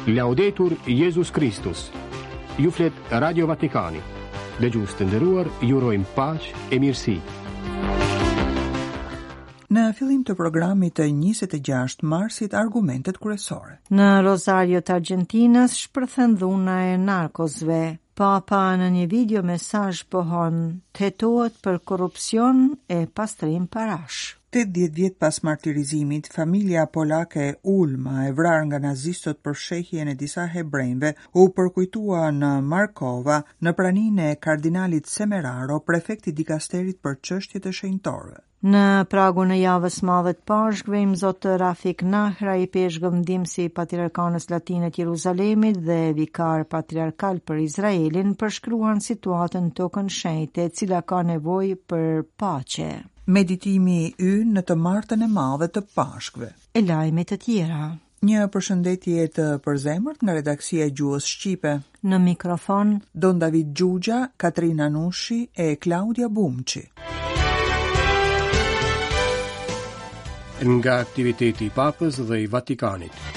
Laudetur Jezus Kristus. Ju flet Radio Vatikani. Dëgjues të nderuar, ju urojmë paqe e mirësi. Në fillim të programit të 26 marsit argumentet kryesore. Në Rosario të Argjentinës shpërthen dhuna e narkosve. Papa në një video mesazh pohon të hetohet për korrupsion e pastrim parash. 80 vjet pas martirizimit, familja polake Ulma, e vrarë nga nazistët për fshehjen e disa hebrenjve, u përkujtua në Markova, në praninë e kardinalit Semeraro, prefekt i dikasterit për çështjet e shenjtorëve. Në pragun e javës madhe të Pashkëve, Imzot Rafik Nahra, ipeshkëv ndihmës i Patriarkanës Latine të Jeruzalemit dhe vikar patriarkal për Izraelin, përshkruan situatën në Tokën Shenjte, e cila ka nevojë për paqe. Meditimi ynë në të martën e madhe të Pashkëve. E lajme të tjera. Një përshëndetje të përzemërt nga redaksia e Gjuhës Shqipe. Në mikrofon Don David Xhuxha, Katrina Nushi e Klaudia Bumçi. Nga aktiviteti i Papës dhe i Vatikanit.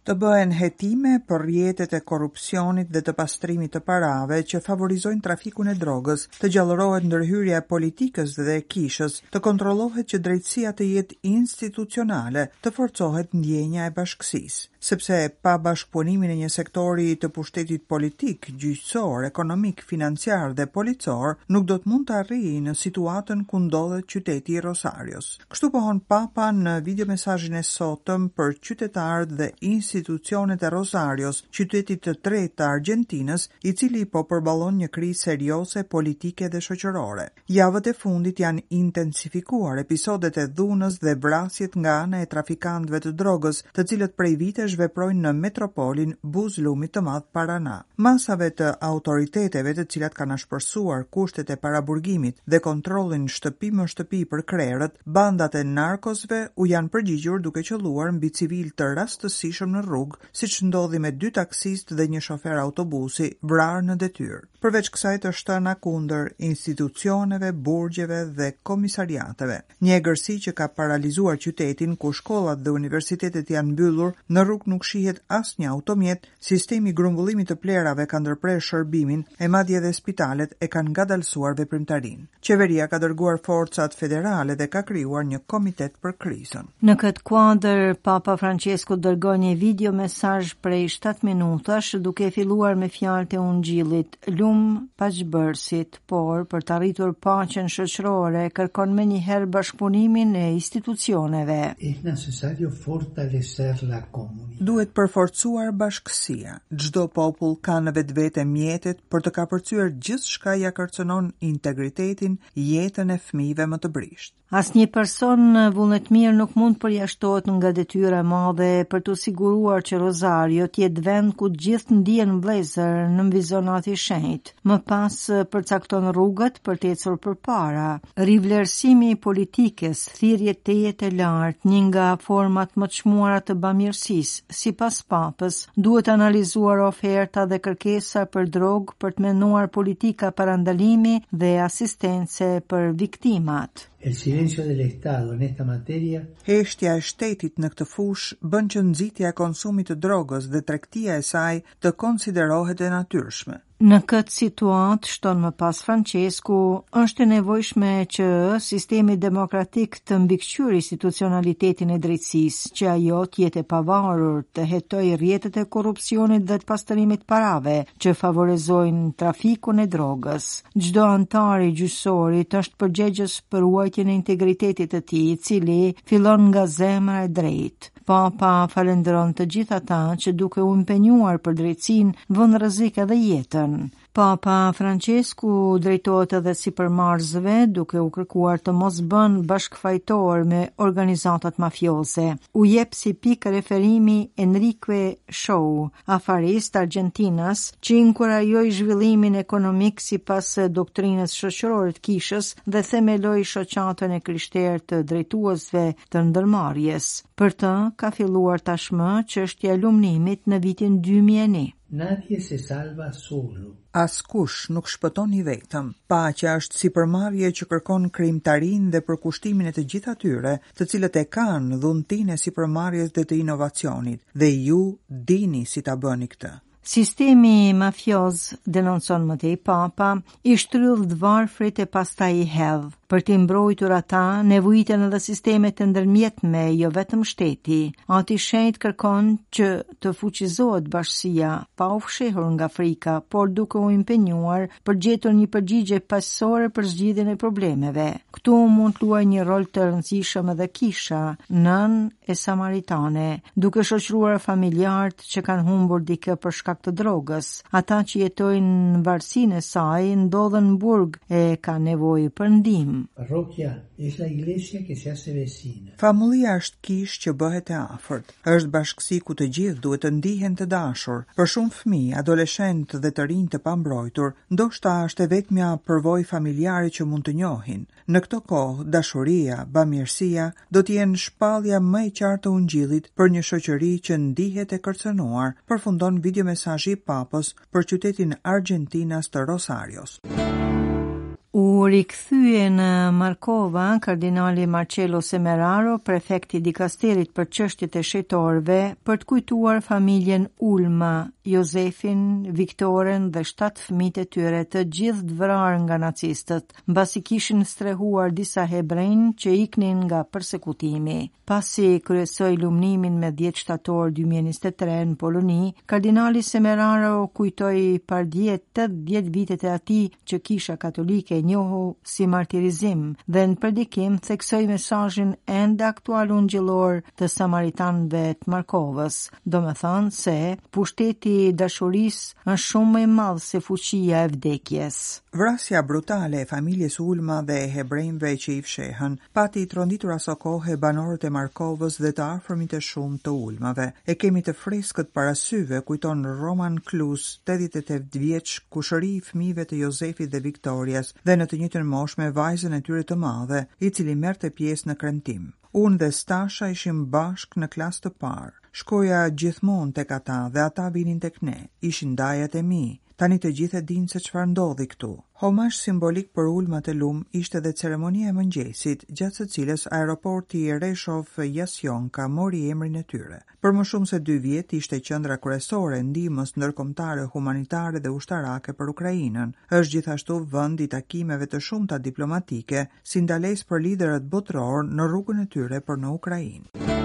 Të bëhen hetime për rrjetet e korrupsionit dhe të pastrimit të parave që favorizojnë trafikun e drogës, të gjallërohet ndërhyrja e politikës dhe e kishës, të kontrollohet që drejtësia të jetë institucionale, të forcohet ndjenja e bashkësisë. Sepse pa bashkëpunimin e një sektori të pushtetit politik, gjyqësor, ekonomik, financiar dhe policor, nuk do të mund të arrijë në situatën ku ndodhet qyteti i Rosarios. Kështu pohon Papa në videomesazhin e sotëm për qytetarët dhe institucionet e Rosarios, qytetit të tretë të Argjentinës, i cili po përballon një krizë serioze politike dhe shoqërore. Javët e fundit janë intensifikuar episodet e dhunës dhe vrasjet nga ana e trafikantëve të drogës, të cilët prej vitesh veprojnë në metropolin buzë lumit të madh Parana. Masave të autoriteteve të cilat kanë ashpërsuar kushtet e paraburgimit dhe kontrollin shtëpi më shtëpi për krerët, bandat e narkosve u janë përgjigjur duke qëlluar mbi civilë të rastësishëm në rrugë, siç ndodhi me dy taksistë dhe një shofer autobusi, vrarë në detyrë. Përveç kësaj të shtëna kundër institucioneve, burgjeve dhe komisariateve. Një egërsi që ka paralizuar qytetin, ku shkollat dhe universitetet janë mbyllur, në rrugë nuk shihet asnjë automjet, Sistemi i grumbullimit të plehrave ka ndërprerë shërbimin e madje edhe spitalet e kanë ngadalësuar veprimtarinë. Qeveria ka dërguar forcat federale dhe ka krijuar një komitet për krizën. Në këtë kuadër, Papa Françesku dërgoi një video mesazh prej 7 minutash duke filluar me fjalët e Ungjillit, Lum paqebërësit, por për të arritur paqen shoqërore kërkon menjëherë bashkëpunimin e institucioneve. Es necesario fortalecer la comunidad. Duhet përforcuar bashkësia. Çdo popull ka në vetvete mjetet për të kapërcyer gjithçka ia kërcënon integritetin, jetën e fëmijëve më të brishtë. Asnjë person vullnetmirë nuk mund të përjashtohet nga detyra e madhe për t'u siguruar që Rosario të jetë vend ku të gjithë ndihen vëllezër, nënvizon Ati i Shenjtë. Më pas përcakton rrugët për të ecur përpara. Rivlerësimi i politikës, thirrje tejet e lartë, një nga format më të çmuara të bamirësisë, sipas Papës, duhet analizuar oferta dhe kërkesa për drogë për të menduar politika parandalimi dhe asistence për viktimat. El silencio del Estado en esta materia. Heshtja e shtetit në këtë fushë bën që nxitja e konsumit të drogës dhe tregtia e saj të konsiderohet e natyrshme. Në këtë situatë, shton më pas Françesku, është e nevojshme që sistemi demokratik të mbikëqyrë institucionalitetin e drejtësisë, që ajo të jetë e pavarur, të hetojë rrjetet e korrupsionit dhe të pastrimit të parave që favorizojnë trafikun e drogës. Çdo anëtar i gjyqësorit është përgjegjës për ruajtjen e integritetit të tij, i cili fillon nga zemra e drejtë. Papa falënderon të gjithë ata që duke u impenjuar për drejtësinë vënë në rrezik edhe jetën. Papa Françesku drejtohet edhe sipërmarrësve duke u kërkuar të mos bëhen bashkëfajtorë me organizatat mafioze. U jep si pikë referimi Enrique Shaw, afarist argjentinas që inkurajoi zhvillimin ekonomik sipas doktrinës shoqërore të kishës dhe themeloi shoqatën e krishterë të drejtuesve të ndërmarrjes. Për të ka filluar tashmë çështja e lumnimit në vitin 2001. Nadie se salva solo. Askush nuk shpëton i vetëm. Paqja është sipërmarrje që kërkon krijimtarinë dhe përkushtimin e të gjithë atyre, të cilët e kanë dhuntinë e sipërmarrjes dhe të inovacionit, dhe ju dini si ta bëni këtë. Sistemi mafioz, denoncon më tej Papa, i shtrydh të varfrit e pastaj i hedh. Për t'i mbrojtur ata, nevojiten edhe sistemet e ndërmjetme, jo vetëm shteti. Ati i Shenjtë kërkon që të fuqizohet bashkësia, pa u fshehur nga frika, por duke u impenjuar për gjetur një përgjigje paqësore për zgjidhjen e problemeve. Këtu mund të luajë një rol të rëndësishëm edhe kisha, nënë e samaritane, duke shoqëruar familjarët që kanë humbur dikë për shkak të drogës. Ata që jetojnë në varësinë e saj ndodhen në burg e kanë nevojë për ndihmë. Parroquia es la iglesia que se hace vecina. Famullia është kishë që bëhet e afërt. Është bashkësi ku të gjithë duhet të ndihen të dashur. Për shumë fëmijë, adoleshentë dhe të rinj të pambrojtur, ndoshta është e vetmja përvojë familjare që mund të njohin. Në këto kohë, dashuria, bamirësia, do të jenë shpallja më e qartë e Ungjillit për një shoqëri që ndihet e kërcënuar, përfundon videomesazhi i Papës për qytetin argjentinas të Rosarios. U rikthye në Markova, kardinali Marcello Semeraro, prefekt i dikasterit për çështjet e shenjtorëve, për të kujtuar familjen Ulma, Jozefin, Viktoren dhe 7 fëmijët e tyre, të gjithë të vrarë nga nacistët. mbasi kishin strehuar disa hebrenj që iknin nga persekutimi. Pasi kryesoi lumnimin me 10 shtator 2023 në Poloni, kardinali Semeraro kujtoi pardje 80 vitet e atij që Kisha Katolike e njohu si martirizim dhe në predikim theksoi mesazhin ende aktual ungjillor të Samaritanëve të Markovës, domethënë se pushteti i dashurisë është shumë më i madh se fuqia e vdekjes. Vrasja brutale e familjes Ulma dhe e hebrenjve që i fshehën, pati tronditur asokohe banorët e Markovës dhe të afërmit e shumtë të Ulmave. E kemi të freskët para syve, kujton Roman Klus, 88 vjeç, kushëri i fëmijëve të Jozefit dhe Viktorias dhe në të njëjtën moshë me vajzën e tyre të madhe, i cili merrte pjesë në kremtim. Unë dhe Stasha ishim bashkë në klasë të parë. Shkoja gjithmonë tek ata dhe ata vinin tek ne. Ishin dajat e mi. Tani të gjithë e dinë se çfarë ndodhi këtu. Homazh simbolik për Ulmat e Lum ishte dhe ceremonia e mëngjesit, gjatë së cilës aeroporti Reshov-Jasionka mori emrin e tyre. Për më shumë se dy vjet ishte qendra kryesore e ndihmës ndërkombëtare humanitare dhe ushtarake për Ukrainën. Është gjithashtu vend i takimeve të shumta diplomatike, si ndalesë për liderët botërorë në rrugën e tyre për në Ukrainë.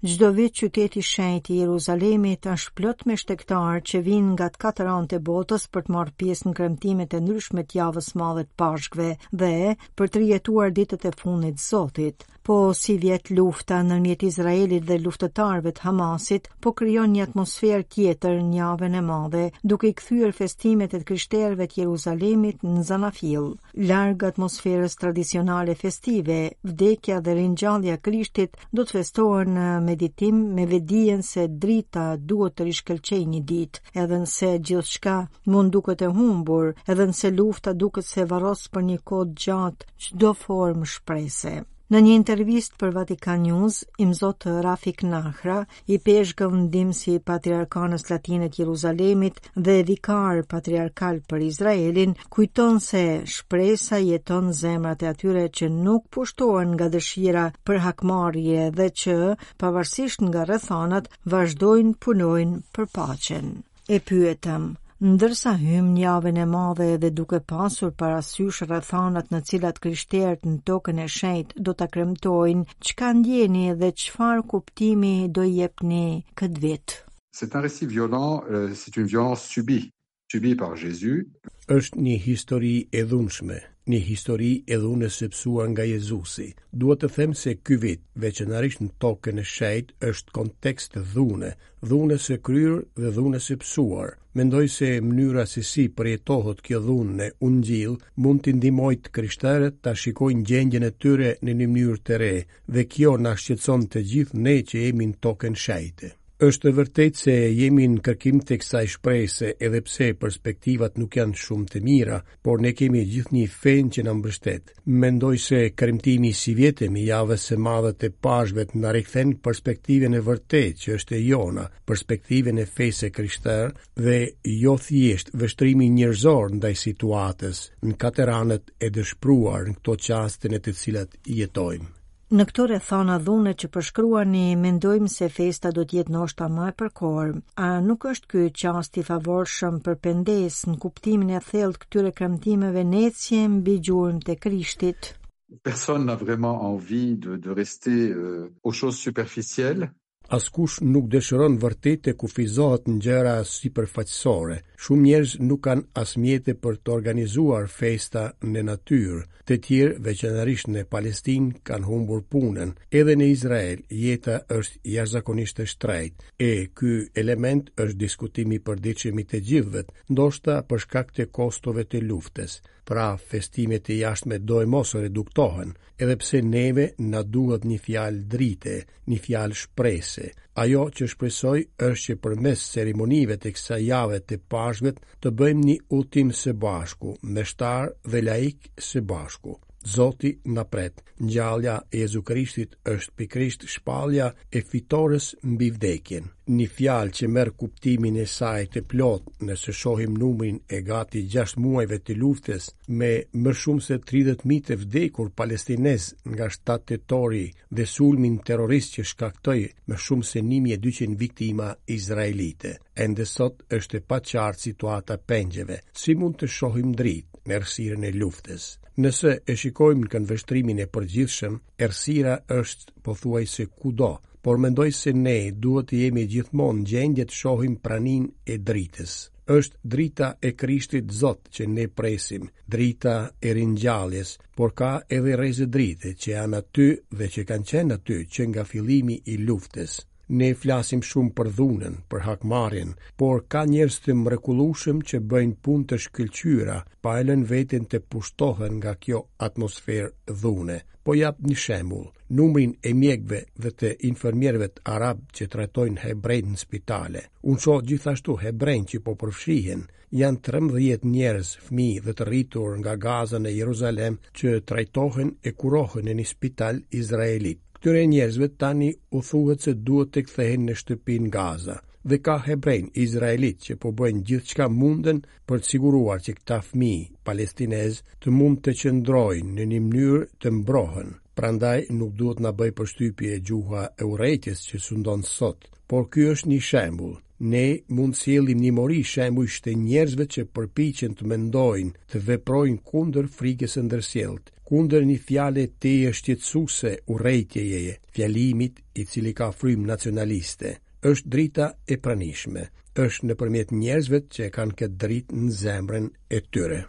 Çdo vit qyteti i shenjtë i Jeruzalemit është plot me shtegtarë që vijnë nga të katër anët e botës për të marrë pjesë në kremtimet e ndryshme të javës së madhe të Pashkëve dhe për të rijetuar ditët e fundit të Zotit. Po sivjet lufta ndërmjet Izraelit dhe luftëtarëve të Hamasit po krijon një atmosferë tjetër në javën e madhe, duke i kthyer festimet e të krishterëve të Jeruzalemit në zanafillë. Larg atmosferës tradicionale festive, vdekja dhe ringjallja e Krishtit do të festohen në meditim me vetëdijen se drita duhet të rishkëlqejë një ditë, edhe nëse gjithçka mund duket e humbur, edhe nëse lufta duket se varros për një kohë të gjatë çdo formë shprese. Në një intervistë për Vatican News, imzot Rafik Nahra, ipeshkëv ndihmës i Patriarkanës Latine të Jeruzalemit dhe vikar patriarkal për Izraelin, kujton se shpresa jeton në zemrat e atyre që nuk pushtohen nga dëshira për hakmarrje dhe që, pavarësisht nga rrethanat, vazhdojnë punojnë për paqen. E pyetëm, ndërsa hymë në javën e madhe dhe duke pasur parasysh rrethanat në cilat krishterët në tokën e shenjtë do ta kremtojnë, çka ndjeni dhe çfarë kuptimi do i jepni këtë vit? C'est un récit violent, euh, c'est une violence subie, subie par Jésus. Është një histori e dhunshme, një histori e dhunës së pësuar nga Jezusi. Dua të them se ky vit, veçanërisht në tokën e shenjtë, është kontekst dhune, dhunës së kryer dhe dhunës së pësuar. Mendoj se mënyra se si përjetohet kjo dhunë në Ungjill mund t'i ndihmojë të krishterët ta shikojnë gjendjen e tyre në një mënyrë të re dhe kjo na shqetëson të gjithë ne që jemi në tokën e shenjtë. Është e vërtetë se jemi në kërkim të kësaj shprese edhe pse perspektivat nuk janë shumë të mira, por ne kemi gjithnjë fenë që na mbështet. Mendoj se kremtimi i sivjetëm i javës së madhe të Pashkëve na rikthen perspektivën e vërtetë që është e jona, perspektivën e fesë së krishterë dhe jo thjesht vështrimin njerëzor ndaj situatës në katëranët e dëshpëruar në këto çaste në të cilat jetojmë. Në këto rrethana dhune që përshkruani, mendojmë se festa do të jetë ndoshta më e përkorë. A nuk është ky çast i favorshëm për pendesë në kuptimin e thellë të këtyre kremtimeve në ecje mbi gjurmët e Krishtit? Personne n'a vraiment envie de, de rester euh, aux choses superficielles. Askush nuk dëshiron vërtet të kufizohet në gjëra sipërfaqësore. Shumë njerëz nuk kanë as mjete për të organizuar festa në natyrë. Të tjerë, veçanërisht në Palestinë, kanë humbur punën. Edhe në Izrael, jeta është jashtëzakonisht e shtrenjtë. E ky element është diskutim i përditshëm i të gjithëve, ndoshta për shkak të kostove të luftës. Pra, festimet e jashtme doemos reduktohen, edhe pse neve na duhet një fjalë drite, një fjalë shprese. Ajo që shpresoj është që përmes ceremonive të kësaj jave të Pashkëve të bëjmë një udhëtim së bashku, meshtar dhe laik së bashku. Zoti na pret. Ngjallja e Jezu Krishtit është pikërisht shpallja e fitores mbi vdekjen. Një fjalë që merr kuptimin e saj të plotë nëse shohim numrin e gati 6 muajve të luftës me më shumë se 30.000 të vdekur palestinezë nga 7 tetori dhe sulmin terrorist që shkaktoi më shumë se 1200 viktima izraelite. Ende sot është e paqartë situata e pengjeve. Si mund të shohim dritë në errësirën e luftës? Nëse e shikojmë në këndvështrimin e përgjithshëm, errësira është pothuajse kudo, por mendoj se ne duhet të jemi gjithmonë në gjendje të shohim praninë e dritës. Është drita e Krishtit Zot që ne presim, drita e ringjalljes, por ka edhe rreze drite që janë aty dhe që kanë qenë aty që nga fillimi i luftës. Ne flasim shumë për dhunën, për hakmarrjen, por ka njerëz të mrekullueshëm që bëjnë punë të shkëlqyera, pa e lënë veten të pushtohen nga kjo atmosferë dhune. Po jap një shembull, numrin e mjekëve dhe të infermierëve arabë që trajtojnë hebrenjtë në spitale. Unë shoh gjithashtu hebrenj që po përfshihen. Janë 13 njerëz, fëmijë dhe të rritur nga Gaza në Jeruzalem që trajtohen e kurohen në një spital izraelit. Këtyre njerëzve tani u thuhet se duhet të kthehen në shtëpi në Gaza. Dhe ka hebrenj izraelitë që po bëjnë gjithçka munden për të siguruar që këta fëmijë palestinezë të mund të qëndrojnë në një mënyrë të mbrohen. Prandaj nuk duhet na bëjë përshtypje gjuha e urrejtjes që sundon sot, por ky është një shembull. Ne mund të sjellim një mori shembujsh të njerëzve që përpiqen të mendojnë, të veprojnë kundër frikës së ndërsjelltë, kundër një fjale tejet shqetësuese urrejtjeje, fjalimit i cili ka frymë nacionaliste. Është drita e pranishme. Është nëpërmjet njerëzve që e kanë këtë dritë në zemrën e tyre.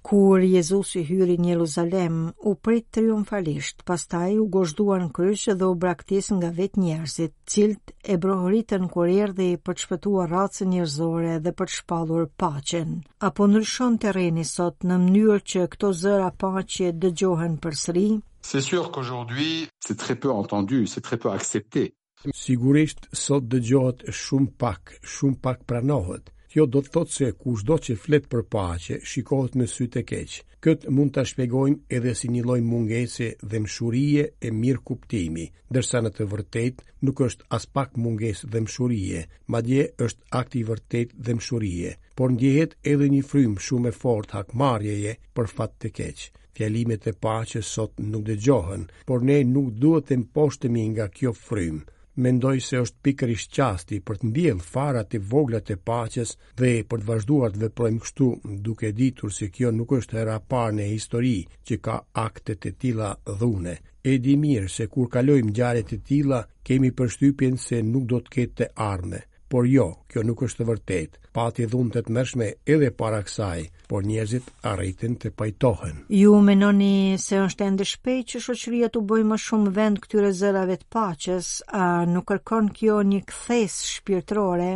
Kur Jezusi hyri në Jeruzalem, u prit triumfalisht, pastaj u gozhdua në kryq dhe u braktis nga vetë njerëzit, të cilët e brohoritën kur erdhi për të shpëtuar racën njerëzore dhe për të shpallur paqen. A po ndryshon terreni sot në mënyrë që këto zëra paqe dëgjohen përsëri? C'est sûr qu'aujourd'hui, c'est très peu entendu, c'est très peu accepté. Sigurisht, sot dëgjohet shumë pak, shumë pak pranohet. Kjo do të thotë se kushdo që flet për paqe, shikohet me sy të keq. Këtë mund ta shpjegojmë edhe si një lloj mungese dhembshurie e mirëkuptimi, ndërsa në të vërtetë nuk është aspak mungesë dhembshurie, madje është akt i vërtetë dhembshurie, por ndjehet edhe një frymë shumë e fortë hakmarrjeje për fat të keq. Fjalimet e paqes sot nuk dëgjohen, por ne nuk duhet të mposhtemi nga kjo frymë. Mendoj se është pikërisht çasti për të mbjellë farat e vogla të paqes dhe për të vazhduar të veprojmë kështu, duke ditur se kjo nuk është hera e parë në histori që ka akte të tilla dhune. E di mirë se kur kalojmë ngjarje të tilla, kemi përshtypjen se nuk do të ketë të ardhme. Por jo, kjo nuk është e vërtetë. Pati dhunë të tmerrshme edhe para kësaj, por njerëzit arritën të pajtohen. Ju mendoni se është ende shpejt që shoqëria t'u bëjë më shumë vend këtyre zërave të paqes, a nuk kërkon kjo një kthesë shpirtërore?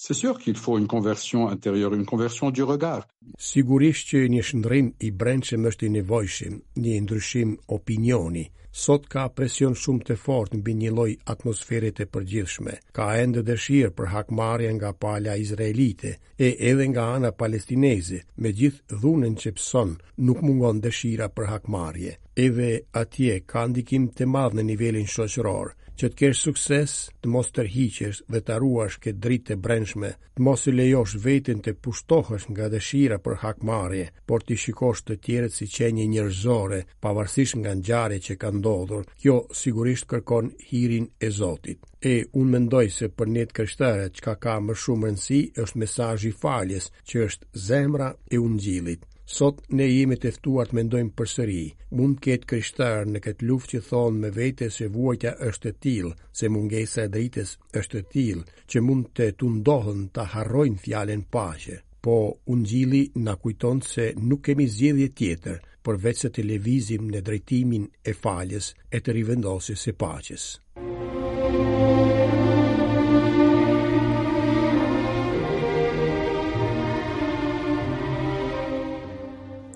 C'est sûr qu'il faut une conversion intérieure, une conversion du regard. Sigurisht që një shndërrim i brendshëm është i nevojshëm, një ndryshim opinioni. Sot ka presion shumë të fortë mbi një lloj atmosfere të përgjithshme. Ka ende dëshirë për hakmarrje nga pala izraelite e edhe nga ana palestineze, me gjithë dhunën që pëson, nuk mungon dëshira për hakmarrje. Edhe atje ka ndikim të madh në nivelin shoqëror. Që të kesh sukses, të mos tërhiqesh dhe ta ruash këtë dritë të brendshme, të mos e lejosh veten të pushtohesh nga dëshira për hakmarrje, por t'i shikosh të tjerët si qenie njerëzore, pavarësisht nga ngjarjet që kanë ndodhur, kjo sigurisht kërkon hirin e Zotit. E unë mendoj se për ne të krishterët çka ka më shumë rëndësi është mesazhi i faljes, që është zemra e ungjillit. Sot ne jemi të ftuar të mendojmë përsëri. Mund të ketë krishterë në këtë luftë që thonë me vete se vuajtja është e tillë, se mungesa e dritës është e tillë, që mund të tundohen ta harrojnë fjalën paqe. Po ungjilli na kujton se nuk kemi zgjedhje tjetër, përveç se të lëvizim në drejtimin e faljes e të rivendosjes së paqes.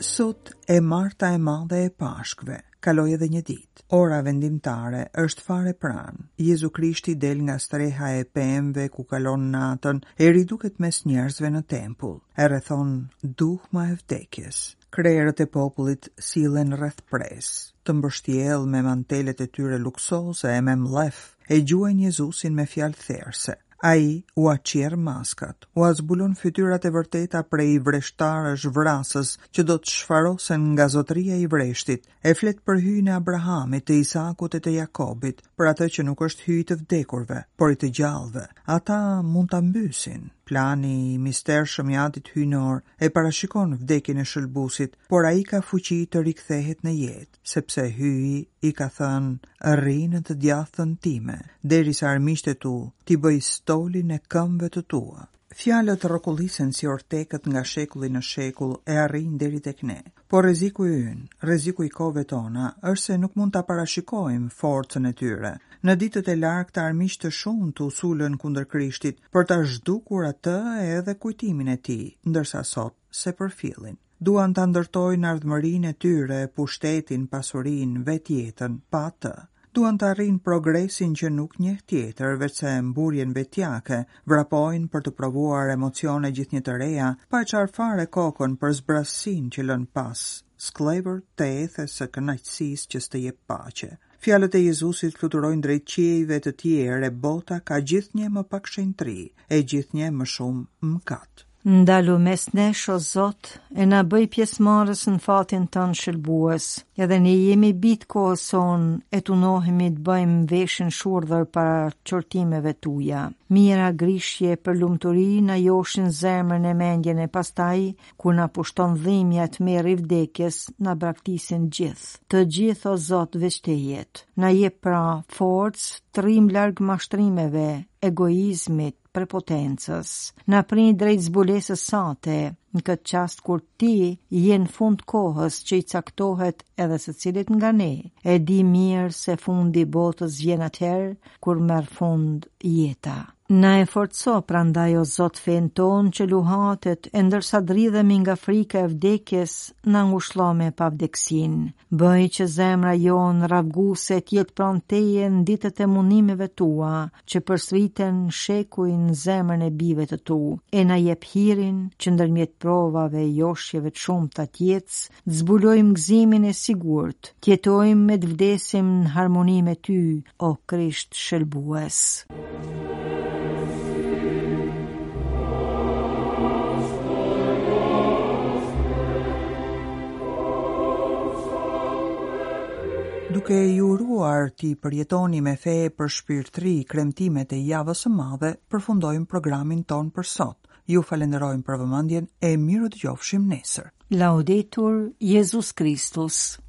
Sot e marta e madhe e Pashkëve, kaloi edhe një ditë. Ora vendimtare është fare pranë. Jezu Krishti del nga streha e pemëve ku kalon natën e riduket mes njerëzve në tempull. E rrethon duhma e vdekjes. Krerët e popullit sillen rreth presë, të mbështjellë me mantelet e tyre luksoze e me mllef, e gjuajnë Jezusin me fjalë therëse. Ai ua çjerr maskat, ua zbulon fytyrat e vërteta prej vreshtarësh vrasës që do të shfarosen nga zotëria i vreshtit, e flet për Hyjin e Abrahamit, të Isakut e të Jakobit, për atë që nuk është Hyj i të vdekurve, por i të gjallëve. Ata mund ta mbysin. Plani i mistershëm i Atit Hyjnor e parashikon vdekjen e Shëlbuesit, por ai ka fuqi të rikthehet në jetë, sepse Hyji i ka thënë, rri në të djathtën time, derisa armiqtë e tu t'i bëj stolin e këmbëve të tua. Fjalët rrokullisen si ortekët nga shekulli në shekull e arrijnë deri tek ne. Por rreziku ynë, rreziku i kohëve tona, është se nuk mund ta parashikojmë forcën e tyre. Në ditët e largëta armiq të shumtë u sulën kundër Krishtit për ta zhdukur atë edhe kujtimin e tij, ndërsa sot s'e përfillin. Duan ta ndërtojnë ardhmërinë e tyre, pushtetin, pasurinë, vetë jetën, pa të. Duan të arrijnë progresin që nuk njeh tjetër, veçse mburrjen vetjake, vrapojnë për të provuar emocione gjithnjë të reja, pa e çarë fare kokën për zbrazësinë që lënë pas, skllevër të ethes së kënaqësisë që s'të jep paqe. Fjalët e Jezusit fluturojnë drejt qiejve të tjerë e bota ka gjithnjë më pak shenjtëri e gjithnjë më shumë mëkat. Ndalu mes nesh, o Zot, e na bëj pjesëmarrës në fatin tënd shëlbues. Edhe ne jemi bij të kohës sonë e tundohemi të bëjmë veshin shurdhër para qortimeve tuaja. Mijëra grishje për lumturi na joshin zemrën e mendjen e pastaj, kur na pushton dhimbja e tmerri i vdekjes, na braktisin gjithë. Të gjithë, o Zot, veç teje. Na jep pra forcë të rrimë larg mashtrimeve, egoizmit, prepotencës. Na pri drejt zbulesës sate, në këtë çast kur ti je në fund kohës që i caktohet edhe secilit nga ne. E di mirë se fundi i botës vjen atëherë kur merr fund jeta. Na e forco prandaj o Zot fenë tonë që luhatet e ndërsa dridhemi nga frika e vdekjes na ngushëllo me pavdekësinë. Bëj që zemra jonë ravguse të jetë pranë teje në ditët e mundimeve tua, që përsëriten shekuj në zemrën e bijve të tu, e na jep hirin që ndërmjet provave e joshjeve të shumta të jetës, të zbulojmë gëzimin e sigurt, të jetojmë e të vdesim në harmoni me ty, o Krisht Shëlbues. Duke ju uruar t'i përjetoni me fe e përshpirtëri kremtimet e javës së madhe, përfundojmë programin tonë për sot. Ju falenderojmë për vëmendjen e mirudëgjofshim nesër. Laudetur Jezus Kristus.